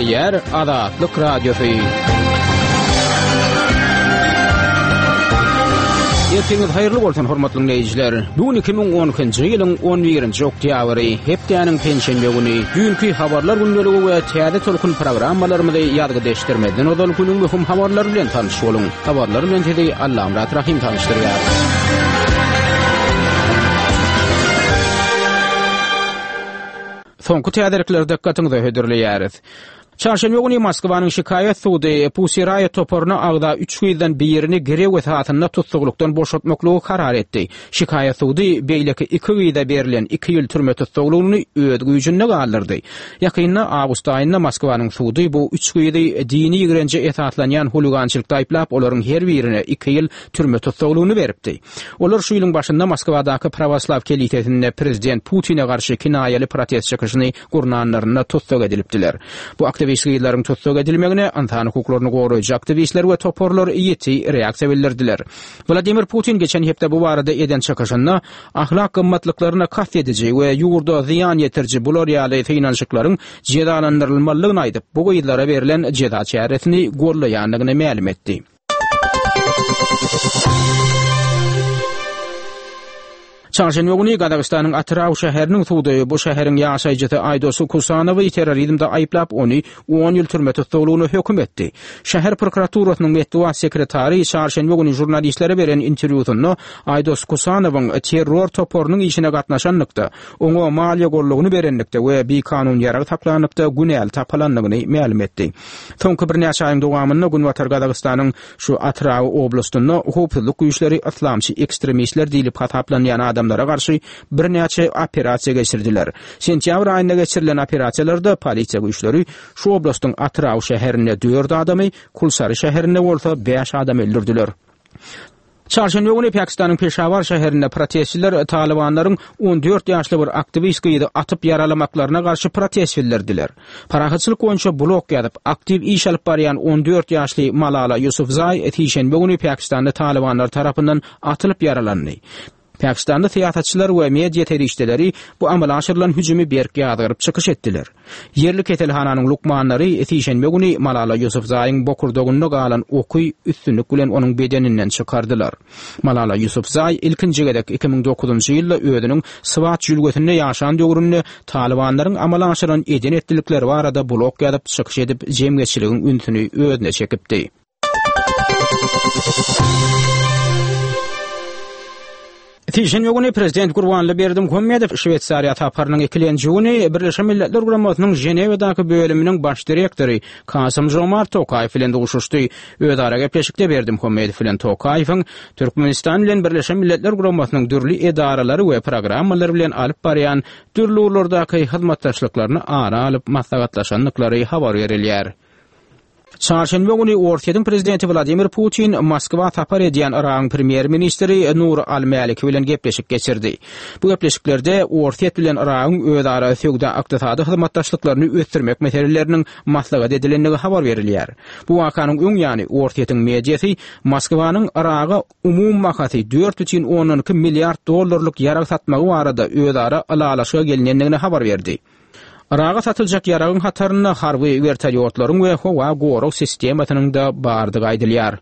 Gepleýär Azatlyk Radiosy. Ertiňiz haýyrly bolsun, hormatly diňleýjiler. Bu gün 2012-nji ýylyň 11-nji oktýabry, hepdäniň penşenbe güni. Düýnki habarlar gündeligi we täze tolkun programmalarymyzy ýazgyda eşitdirmezden ozal günüň möhüm habarlary bilen tanyş boluň. Habarlar bilen sizi Allamyrat Rahym tanyşdyrýar. Soňky täzelikleri dykgatyňyza hödürleýäris. Çarşenbe güni Moskwanyň şikaýat sudy Pussy Riot toparyna agza üç gyzdan birini girew esasynda tussaglykdan boşatmaklygy karar etdi. Şikaýat sudy beýleki iki gyza berlen iki ýyl türme tussaglygyny öz güýjünde galdyrdy. Ýakynda, awgust aýynda Moskwanyň sudy bu üç gyzy dini ýigrenje esaslanýan huligançylykda aýyplap, olaryň her birine iki ýyl türme tussaglygyny beripdi. Olar şu ýylyň başynda Moskwadaky prawoslaw kelisesinde prezident Putine garşy kinaýaly protest çykyşyny gurnanlarynda tussag edilipdiler. Bu aktiwist gyzlaryň tussag edilmegine ynsan hukuklaryny goraýjy aktiwistler we toparlar ýiti reaksiýa bildirdiler. Wladimir Putin geçen hepde bu barada eden çykyşynda ahlak gymmatlyklaryna kast ediji we ýurda zyýan ýetiriji bular ýaly synanyşyklaryň jezalandyrylmalydygyny aýdyp, bu gyzlara berlen jeza çäresini gollaýandygyny mälim etdi. Çarşenbe güni Gazagystanyň Atyrau şäheriniň sudy bu şäheriň ýaşaýjysy Aýdos Kusanowy terrorizmde aýyplap, ony on ýyl türme tussaglygyna höküm etdi. Şäher prokuraturasynyň metbugat sekretary çarşenbe güni žurnalistlere beren interwýusynda Aýdos Kusanowyň terror toparynyň işine gatnaşanlykda, oňa maliýe goldawyny berenlikde we bikanun ýarag saklanlykda günäli tapylandygyny mälim etdi. Soňky birnäçe aýyň dowamynda Günbatar Gazagystanyň şu Atyrau oblastynda howpsuzlyk güýçleri yslamçy ekstremistler diýlip hasaplanýan adamlara garşy birnäçe operasiýa geçirdiler. Sentýabr aýynda geçirilen operasiýalarda polisiýa güýçleri şu oblastyň Atyrau şäherinde dört adamy, Kulsary şäherinde bolsa bäş adamy öldürdiler. Çarşenbe güni Pakistanyň Peşawar şäherinde protestçiler talybanlaryň 14 ýaşly bir aktiwist gyzy atyp ýaralamaklaryna garşy protest bildirdiler. Parahatçylyk boýunça blog ýazyp, aktiw iş alyp barýan 14 ýaşly Malala Ýusufzaý sişenbe güni Pakistanda talybanlar tarapyndan atylyp ýaralandy. Pakistanly syýasatçylar we media serişdeleri bu amala aşyrylan hüjümi berk ýazgaryp çykyş etdiler. Ýerli keselhananyň lukmanlary sişenbe güni Malala Ýusufzaýyň bokurdagynda galan oky üstünlik bilen onuň bedeninden çykardylar. Malala Ýusufzaý ilkinji gezek 2009-njy ýylda özüniň Swat jülgesinde ýaşan döwründe talybanlaryň amala aşyran eden-etdilikleri barada blog ýazyp çykyş edip jemgyýetçiligiň ünsüni özüne çekipdi. Sişenbe güni prezident Gurbanly Berdimuhamedow Şweýsariýa saparynyň ikilenji güni Birleşen Milletler Guramasynyň Ženewadaky bölüminiň baş direktory Kasym Žomart Tokaýew bilen duşuşdy. Özara gepleşikde Berdimuhamedow bilen Tokaýewiň Türkmenistan bilen Birleşen Milletler Guramasynyň dürli edaralary we programmalary bilen alyp barýan dürli ugurlardaky hyzmatdaşlyklaryny ara alyp maslahatlaşandyklary habar berilýär. Çarşenbe güni Orsýetiň prezidenti Wladimir Putin Moskwa sapar edýän Yragyň premýer-ministri Nuri al-Mäliki bilen gepleşik geçirdi. Bu gepleşiklerde Orsýet bilen Yragyň özara söwda-ykdysady hyzmatdaşlyklaryny ösdürmek meseleleriniň maslahat edilendigi habar berilýär. Bu wakanyň öň ýany Orsýetiň mediasy Moskwanyň Yraga umumy bahasy 4,2 milliard dollarlyk ýarag satmagy barada özara ylalaşyga gelinendigini habar berdi. Yraga satyljak ýaragyň hatarynda harby wertolýotlaryň we howa gorag sistemasynyň-da bardygy aýdylýar.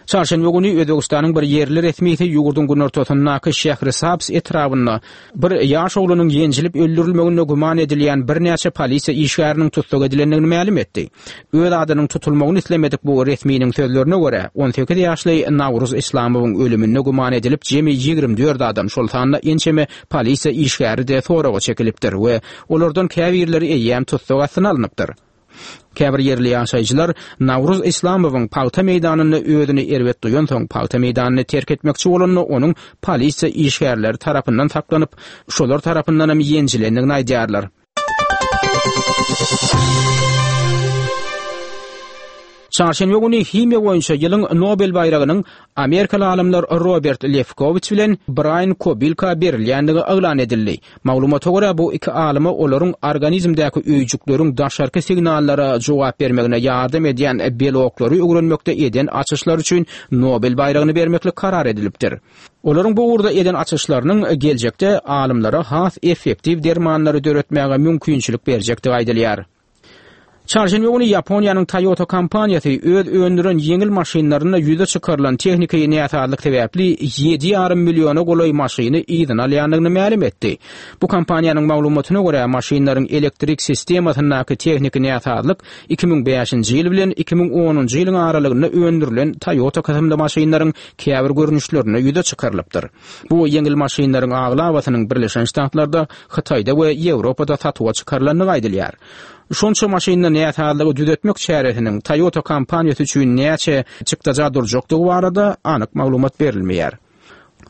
Çarşenbe güni Özbegistanyň bir ýerli resmisi ýurduň günortasyndaky Şährisabz etrabynda bir ýaş oglanyň ýenjilip öldürilmeginde güman edilýän birnäçe polisiýa işgäriniň tussag edilendigini mälim etdi. Öz adynyň tutulmagyny islemedik bu resminiň sözlerine görä, 18 ýaşly Nawruz Islamowyň ölüminde güman edilip jemi 24 adam, şol sanda ençeme polisiýa işgäri-de soraga çekilipdir we olardan käbirleri eýýäm tussag astyna alnypdyr. Käbir ýerli ýaşaýjylar Nawruz Islamowyň pagta meýdanynda özüni erbet duýansoň, pagta meýdanyny terk etmekçi bolanda onuň polisiýa işgärleri tarapyndan saklanyp, şolar tarapyndanam ýenjilendigini aýdýarlar. Çarşenbe güni himiýa boýunça ýylyň Nobel baýragynyň amerikaly alymlar Robert Lefkowiç bilen Braýan Kobilka berilýändigi yglan edildi. Maglumata görä, bu iki alyma olaryň organizmdäki öýjükleriň daşarky signallara jogap bermegine ýardam edýän beloklary öwrenmekde eden açyşlary üçin Nobel baýragyny bermeklik karar edilipdir. Olaryň bu ugurda eden açyşlarynyň geljekde alymlara has effektiw dermanlary döretmäge mümkinçilik berjekdigi aýdylýar. Çarşenbe güni Ýaponiýanyň Toyota kompaniýasy öz öndüren ýeňil maşynlarynda ýüze çykarylan tehniki näsazlyk sebäpli ýedi ýarym milliona golaý maşyny yzyna alýandygyny mälim etdi. Bu kompaniýanyň maglumatyna görä, maşynlaryň elektrik sistemasyndaky tehniki näsazlyk 2005-nji ýyl bilen 2010-njy ýylyň aralygynda öndürilen Toyota kysymly maşynlaryň käbir görnüşlerinde ýüze çykarylypdyr. Bu ýeňil maşynlaryň aglabasynyň Birleşen Ştatlarda, Hytaýda we Ýewropada satuwa çykarylandygy aýdylýar. Şonça maşynda näsazlygy düzetmek çäresiniň Toyota kompaniýasy üçin näçe çykdaja durjakdygy barada anyk maglumat berilmeýär.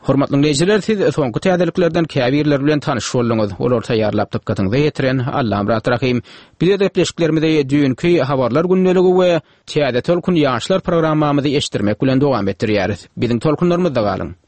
Hormatly diňleýjiler, siz soňky täzeliklerden käbirleri bilen tanyş bolduňyz. Olary taýýarlap dykgatyňyza ýetiren Allamyrat Rahym. Biz öz gepleşiklerimizi düýnki Habarlar gündeligi we Täze tolkun ýaşlar programmamyzy eşitdirmek bilen dowam etdirýäris. Biziň tolkunlarymyzda galyň!